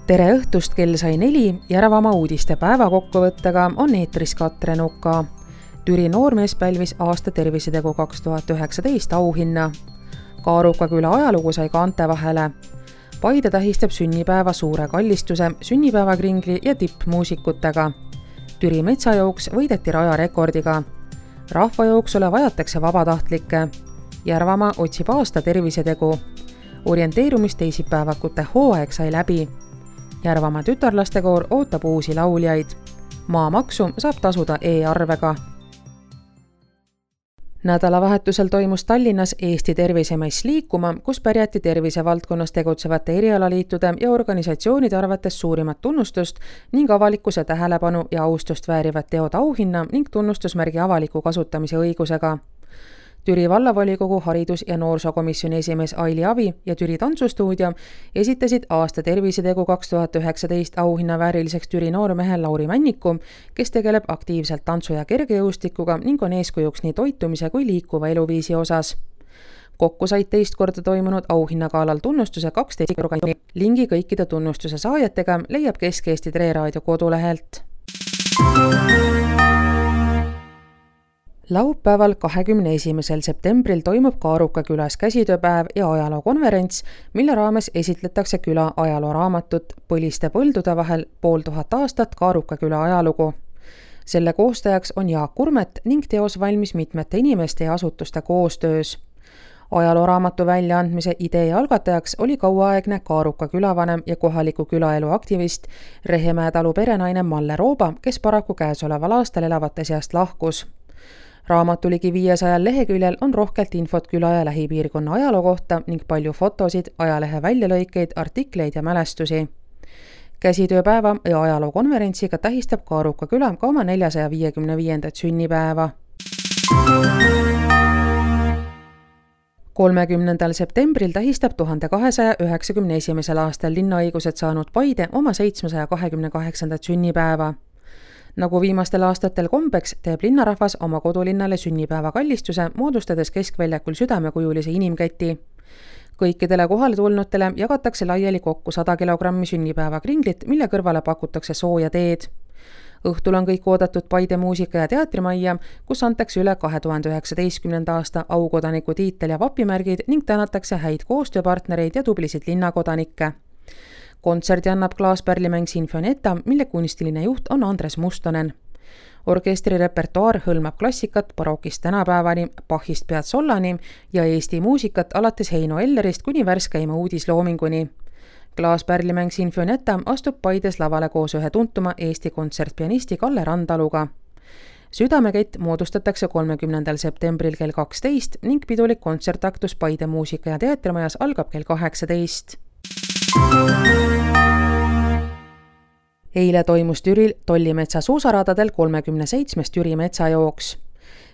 Tere õhtust, kell sai 4, Järvamaa uudiste päevakokkuvõttega on eetris Katre Nuka. Türi noormees pälvis aasta tervisetegu 2019 auhinna. Kaaruka küla ajalugu sai kaante vahele. Paide tähistab sünnipäeva suure kallistuse, sünnipäevakringli ja tippmuusikutega. Türi metsajooks võideti rajarekordiga. Rahvajooksule vajatakse vabatahtlikke. Järvamaa otsib aasta tervisetegu. Orienteerumisteisipäevakute hooaeg sai läbi. Järvamaa tütarlastekoor ootab uusi lauljaid. Maamaksu saab tasuda e-arvega. Nädalavahetusel toimus Tallinnas Eesti tervisemess liikuma, kus pärjati tervisevaldkonnas tegutsevate erialaliitude ja organisatsioonide arvates suurimat tunnustust ning avalikkuse tähelepanu ja austust väärivat teod auhinna ning tunnustusmärgi avaliku kasutamise õigusega. Türi vallavolikogu haridus- ja noorsookomisjoni esimees Aili Avi ja Türi tantsustuudio esitasid aasta tervisetegu 2019 auhinna vääriliseks Türi noormehe Lauri Männiku, kes tegeleb aktiivselt tantsu- ja kergejõustikuga ning on eeskujuks nii toitumise kui liikuva eluviisi osas. Kokku said teist korda toimunud auhinnagaalal tunnustuse 12 organisatsiooni. Lingi kõikide tunnustuse saajatega leiab Kesk-Eesti Treraadio kodulehelt. Laupäeval 21. septembril toimub Kaaruka külas käsitööpäev ja ajalookonverents, mille raames esitletakse küla ajalooraamatut Põliste põldude vahel 5000 aastat Kaaruka küla ajalugu. Selle koostajaks on Jaak Kurmet ning teos valmis mitmete inimeste ja asutuste koostöös. Ajalooraamatu väljaandmise idee algatajaks oli kauaaegne Kaaruka külavanem ja kohaliku külaelu aktivist Rehemäe talu perenaine Malle Rooba, kes paraku käesoleval aastal elavate seast lahkus. Raamatu ligi 500 leheküljel on rohkelt infot küla ja lähipiirkonna ajaloo kohta ning palju fotosid, ajalehe väljalõikeid, artikleid ja mälestusi. Käsitööpäeva ja ajalookonverentsiga tähistab Kaaruka küla ka oma 455. sünnipäeva. 30. septembril tähistab 1291. aastal linnaõigused saanud Paide oma 728. sünnipäeva. Nagu viimastel aastatel kombeks, teeb linnarahvas oma kodulinnale sünnipäeva kallistuse, moodustades keskväljakul südamekujulise inimkäti. Kõikidele kohale tulnutele jagatakse laiali kokku 100 kilogrammi sünnipäeva kringlit, mille kõrvale pakutakse sooja teed. Õhtul on kõik oodatud Paide muusika- ja teatrimajja, kus antakse üle 2019. aasta aukodaniku tiitel ja vapimärgid ning tänatakse häid koostööpartnereid ja tublisid linnakodanikke. Kontserdi annab klaaspärlimäng Sinfonietta, mille kunstiline juht on Andres Mustonen. Orkestri repertuaar hõlmab klassikat barokist tänapäevani, Bachist Piazzollani ja Eesti muusikat alates Heino Ellerist kuni värskeima uudisloominguni. Klaaspärlimäng Sinfonietta astub Paides lavale koos ühe tuntuma Eesti kontsertpianisti Kalle Randaluga. Südamekett moodustatakse 30. septembril kell 12 ning pidulik kontsertaktus Paide muusika- ja teatrimajas algab kell 18. Eile toimus Türil Tollimetsa suusaradadel 37. Türi metsajooks.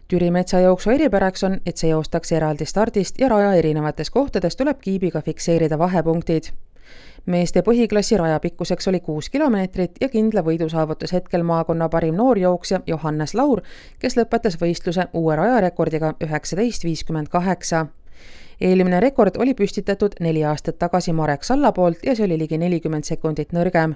Türi metsajooksu eripäraks on, et see joostakse eraldi stardist ja raja erinevates kohtades tuleb kiibiga fikseerida vahepunktid. Meeste põhiklassi raja pikkuseks oli 6 kilomeetrit ja kindla võidu saavutas hetkel maakonna parim noorjooksja Johannes Laur, kes lõpetas võistluse uue rajarekordiga 19.58. Eelmine rekord oli püstitatud 4 aastat tagasi Marek Salla poolt ja see oli ligi 40 sekundit nõrgem.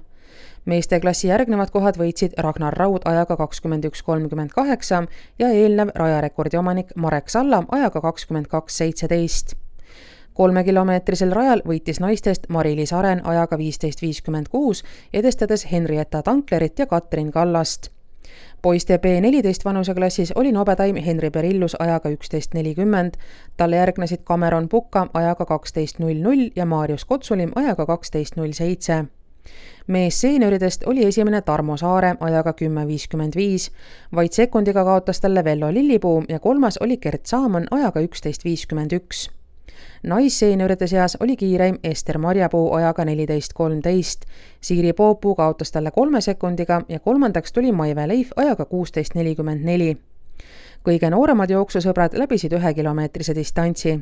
Meeste klassi järgnevad kohad võitsid Ragnar Raud ajaga 21.38 ja eelnev rajarekordi omanik Marek Salla ajaga 22.17. 3-kilomeetrisel rajal võitis naistest Mari-Liis Aren ajaga 15.56, edestades Henrietta Tanklerit ja Katrin Kallast. Poiste B14 vanuseklassis oli nobedaim Henri Perillus ajaga 11.40, talle järgnesid Cameron Puka ajaga 12.00 ja Marius Kotsulim ajaga 12.07. Mees seenioridest oli esimene Tarmo Saare ajaga 10.55, vaid sekundiga kaotas talle Vello Lillipuu ja kolmas oli Gert Saaman ajaga 11.51. Naisseenioride seas oli kiireim Ester Marjapuu ajaga 14.13, Siiri Poopuu kaotas talle 3 sekundiga ja kolmandaks tuli Maive Leif ajaga 16.44. Kõige nooremad jooksusõbrad läbisid 1-kilomeetrise distantsi.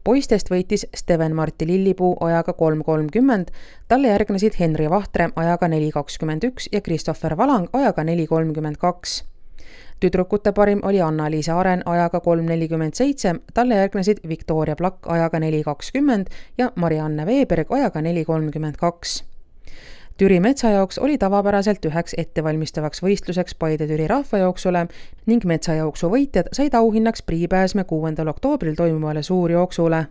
Poistest võitis Steven-Martti Lillipuu ajaga 3.30, talle järgnesid Henri Vahtre ajaga 4.21 ja Christopher Valang ajaga 4.32. Tüdrukute parim oli Anna-Liisa Aren ajaga 3.47, talle järgnesid Victoria Plakk ajaga 4.20 ja Marianne Veeberg ajaga 4.32. Türi metsajaoks oli tavapäraselt üheks ettevalmistavaks võistluseks Paide-Türi rahvajooksule ning metsajooksu võitjad said auhinnaks priipääsme 6. oktoobril toimuvale suurjooksule.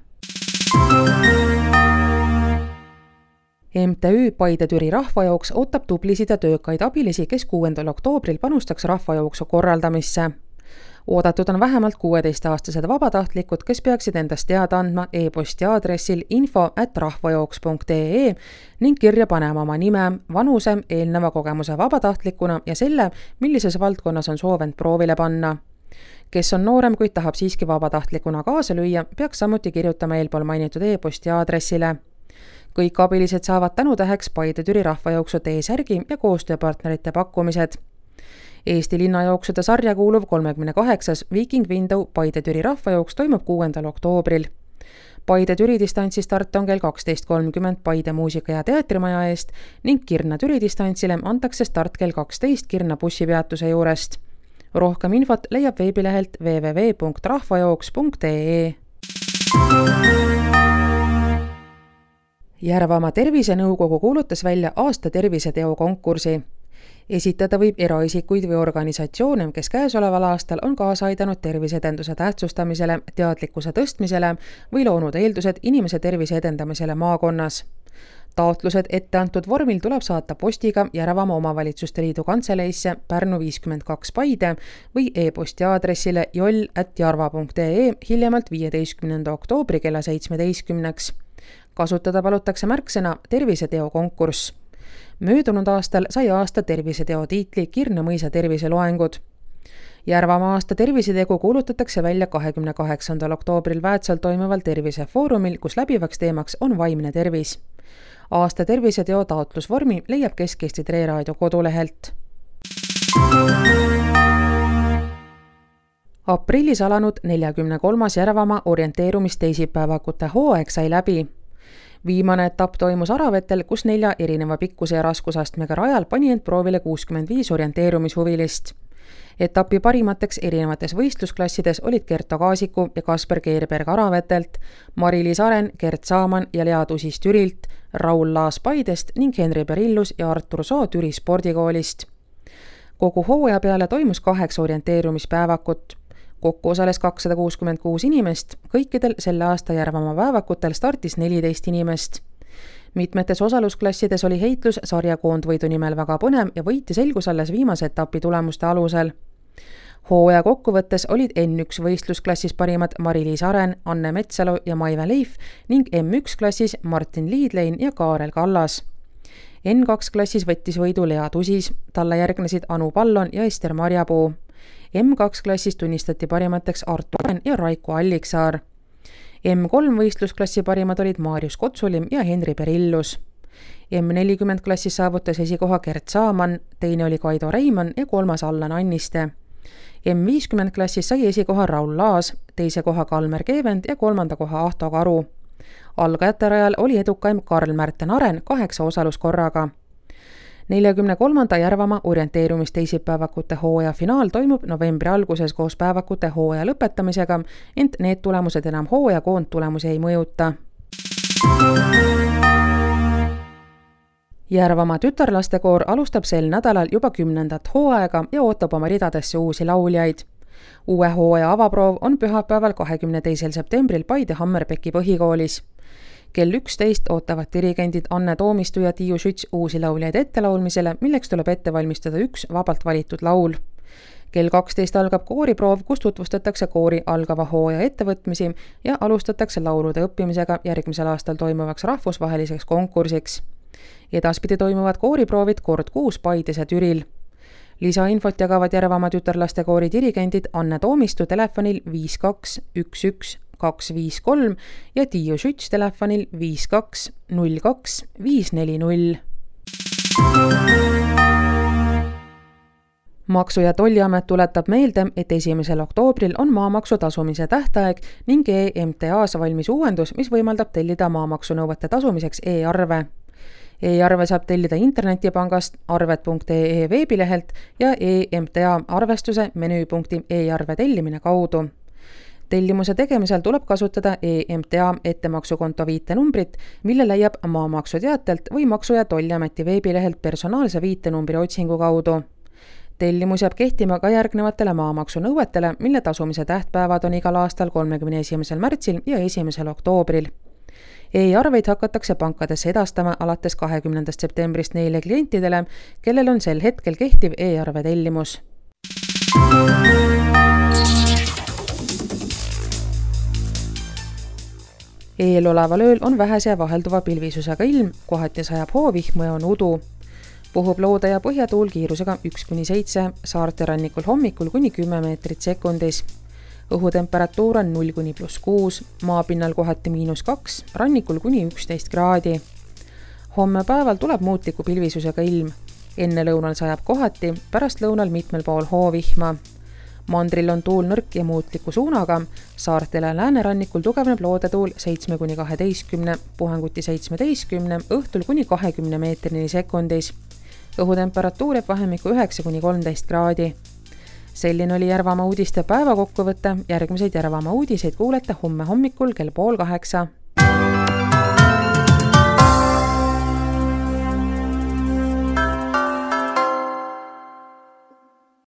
MTÜ Paide-Türi rahvajooks ootab tublisid ja töökaid abilisi, kes 6. oktoobril panustaks rahvajooksu korraldamisse. Oodatud on vähemalt 16-aastased vabatahtlikud, kes peaksid endast teada andma e-posti aadressil info@rahvajooks.ee ning kirja panema oma nime, vanuse, eelneva kogemuse vabatahtlikuna ja selle, millises valdkonnas on soov end proovile panna. Kes on noorem, kuid tahab siiski vabatahtlikuna kaasa lüüa, peaks samuti kirjutama eelpool mainitud e-posti aadressile. Kõik abilised saavad tänutäheks Paide-Türi rahvajooksu T-särgi ja koostööpartnerite pakkumised. Eesti linnajooksude sarja kuuluv 38. Viking Window Paide-Türi rahvajooks toimub 6. oktoobril. Paide-Türi distantsistart on kell 12.30 Paide muusika- ja teatrimaja eest ning Kirna-Türi distantsile antakse start kell 12 Kirna bussipeatuse juurest. Rohkem infot leiab veebilehelt www.rahvajooks.ee. Järvamaa tervisenõukogu kuulutas välja aasta terviseteo konkursi. Esitada võib eraisikuid või organisatsioone, kes käesoleval aastal on kaasa aidanud terviseedenduse tähtsustamisele, teadlikkuse tõstmisele või loonud eeldused inimese tervise edendamisele maakonnas. Taotlused ette antud vormil tuleb saata postiga Järvamaa Omavalitsuste Liidu kantseleisse Pärnu 52 Paide või e-posti aadressile joll@jarva.ee hiljemalt 15. oktoobri kella 17. Kasutada palutakse märksõna terviseteo konkurss. Möödunud aastal sai aasta terviseteo tiitli Kirna mõisa terviseloengud. Järvamaa aasta tervisetegu kuulutatakse välja 28. oktoobril Väätsal toimuval tervisefoorumil, kus läbivaks teemaks on vaimne tervis. Aasta terviseteo taotlusvormi leiab Kesk-Eesti Treeraadio kodulehelt. Aprillis alanud 43. Järvamaa orienteerumisteisipäevakute hooaeg sai läbi. Viimane etapp toimus Aravetel, kus 4 erineva pikkuse ja raskusastmega rajal pani end proovile 65 orienteerumishuvilist. Etapi parimateks erinevates võistlusklassides olid Kerto Kaasiku ja Kasper Keerberg Aravetelt, Mari-Liis Aren, Gert Saaman ja Lea Tusis Türilt, Raul Laas Paidest ning Henri Perillus ja Artur Soo Türi spordikoolist. Kogu hooaja peale toimus 8 orienteerumispäevakut. Kokku osales 266 inimest, kõikidel selle aasta Järvamaa päevakutel startis 14 inimest. Mitmetes osalusklassides oli heitlus sarjakoondvõidu nimel väga põnev ja võiti selgus alles viimase etapi tulemuste alusel. Hooaja kokkuvõttes olid N1 võistlusklassis parimad Mari-Liis Aren, Anne Metsalu ja Maive Leif ning M1 klassis Martin Liidlein ja Kaarel Kallas. N2 klassis võttis võidu Lea Tusis, talle järgnesid Anu Pallon ja Ester Marjapuu. M2 klassis tunnistati parimateks Artur Aren ja Raiko Alliksaar. M3 võistlusklassi parimad olid Maarjus Kotsulim ja Henri Perillus. M40 klassis saavutas esikoha Gert Saaman, teine oli Kaido Reimann ja kolmas Allan Anniste. M50 klassis sai esikoha Raul Laas, teise koha Kalmer Keevend ja kolmanda koha Ahto Karu. Algajate rajal oli edukaim Karl-Märten Aren 8 osaluskorraga. 43. Järvamaa orienteerumisteisipäevakute hooaja finaal toimub novembri alguses koos päevakute hooaja lõpetamisega, ent need tulemused enam hooaja koondtulemusi ei mõjuta. Järvamaa tütarlastekoor alustab sel nädalal juba 10. hooaega ja ootab oma ridadesse uusi lauljaid. Uue hooaja avaproov on pühapäeval 22. septembril Paide Hammerbecki põhikoolis. Kell 11 ootavad dirigendid Anne Toomistu ja Tiiu Schütz uusi lauljaid ettelaulmisele, milleks tuleb ette valmistada üks vabalt valitud laul. Kell 12 algab kooriproov, kus tutvustatakse koori algava hooaja ettevõtmisi ja alustatakse laulude õppimisega järgmisel aastal toimuvaks rahvusvaheliseks konkursiks. Edaspidi toimuvad kooriproovid kord kuus Paides ja Türil. Lisainfot jagavad Järvamaa tütarlastekoori dirigendid Anne Toomistu telefonil 5211 253 ja Tiiu Schütz telefonil 5202 540. Maksu- ja Tolliamet tuletab meelde, et 1. oktoobril on maamaksu tasumise tähtaeg ning EMTA-s valmis uuendus, mis võimaldab tellida maamaksunõuete tasumiseks e-arve. E-arve saab tellida internetipangast arved.ee veebilehelt ja EMTA arvestuse menüüpunkti e-arve tellimine kaudu. Tellimuse tegemisel tuleb kasutada EMTA ettemaksukonto viitenumbrit, mille leiab maamaksuteatelt või Maksu- ja Tolliameti veebilehelt personaalse viitenumbri otsingu kaudu. Tellimus jääb kehtima ka järgnevatele maamaksu nõuetele, mille tasumise tähtpäevad on igal aastal 31. märtsil ja 1. oktoobril. E-arveid hakatakse pankadesse edastama alates 20. septembrist neile klientidele, kellel on sel hetkel kehtiv e-arve tellimus. Eeloleval ööl on vähese ja vahelduva pilvisusega ilm, kohati sajab hoovihmu ja on udu. Puhub loode- ja põhjatuul kiirusega 1-7, saarte rannikul hommikul kuni 10 meetrit sekundis. Õhutemperatuur on 0–+6, maapinnal kohati -2, rannikul kuni 11 kraadi. Homme päeval tuleb muutliku pilvisusega ilm. Enne lõunal sajab kohati, pärast lõunal mitmel pool hoovihma. Mandril on tuul nõrk ja muutliku suunaga, saartel ja läänerannikul tugevneb loodetuul 7–12, puhanguti 17, õhtul kuni 20 meetrini sekundis. Õhutemperatuur jääb vahemikku 9–13 kraadi. Selline oli Järvamaa uudiste päevakokkuvõte, järgmiseid Järvamaa uudiseid kuulete homme hommikul kell 7:30.